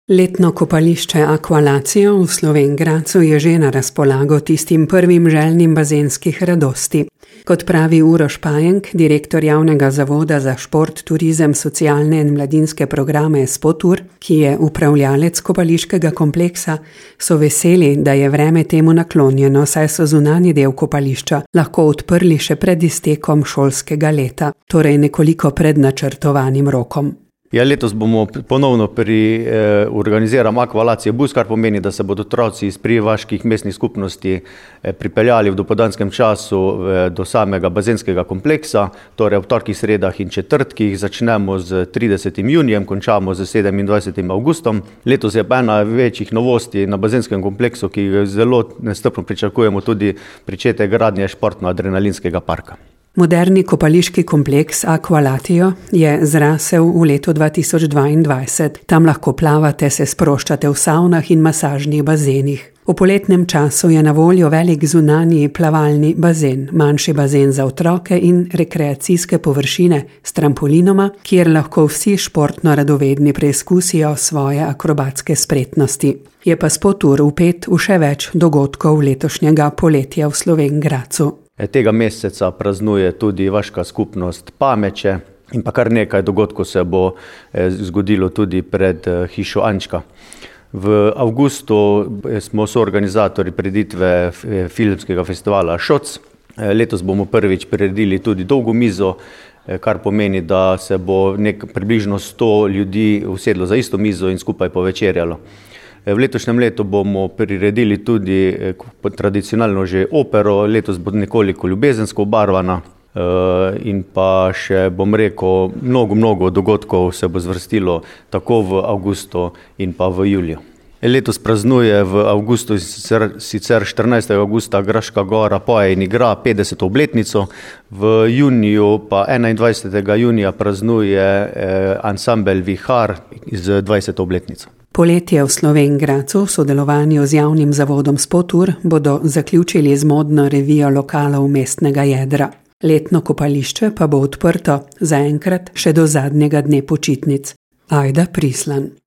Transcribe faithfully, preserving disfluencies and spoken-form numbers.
Letno kopališče Aqualacio v Slovenj Gradcu je že na razpolago tistim prvim željnim bazenskih radosti. Kot pravi Uroš Pajenk, direktor javnega zavoda za šport, turizem, socialne in mladinske programe Spotur, ki je upravljalec kopališkega kompleksa, so veseli, da je vreme temu naklonjeno, saj so zunanji del kopališča lahko odprli še pred iztekom šolskega leta, torej nekoliko pred načrtovanim rokom. Ja, letos bomo ponovno pri, eh, organiziramo Aqualacio bus, kar pomeni, da se bodo otroci iz privaških mestnih skupnosti eh, pripeljali v dopoldanskem času eh, do samega bazenskega kompleksa, torej ob torkih, sredah in četrtkih. Začnemo z tridesetim junijem, končamo z sedemindvajsetim avgustom. Letos je pa ena večjih novosti na bazenskem kompleksu, ki zelo nestrpno pričakujemo, tudi pričetek gradnje športno-adrenalinskega parka. Moderni kopališki kompleks Aqualacio je zrasel v letu dva tisoč dvaindvajset. Tam lahko plavate, se sproščate v savnah in masažnih bazenih. V poletnem času je na voljo velik zunanji plavalni bazen, manjši bazen za otroke in rekreacijske površine s trampolinoma, kjer lahko vsi športno radovedni preizkusijo svoje akrobatske spretnosti. Je pa Spotur vpet v še več dogodkov letošnjega poletja v Slovenj Gradcu. Tega meseca praznuje tudi vaška skupnost Pameče in pa kar nekaj dogodkov se bo zgodilo tudi pred hišo Ančka. V avgustu smo soorganizatorji prireditve filmskega festivala Šoc. Letos bomo prvič priredili tudi dolgo mizo, kar pomeni, da se bo nek približno sto ljudi usedlo za isto mizo in skupaj povečerjalo. V letošnjem letu bomo priredili tudi tradicionalno že opero, letos bo nekoliko ljubezensko obarvana in pa še, bom rekel, mnogo, mnogo dogodkov se bo zvrstilo tako v avgustu in pa v juliju. Letos praznuje v avgustu, sicer štirinajstega avgusta, Graška gora poje in igra petdeseto obletnico, v juniju pa enaindvajsetega junija praznuje ansambel Vihar z dvajseto obletnico. Poletje v Slovenj Gradcu v sodelovanju z javnim zavodom Spotur bodo zaključili z modno revijo lokalov mestnega jedra. Letno kopališče pa bo odprto zaenkrat še do zadnjega dne počitnic. Ajda Prislan.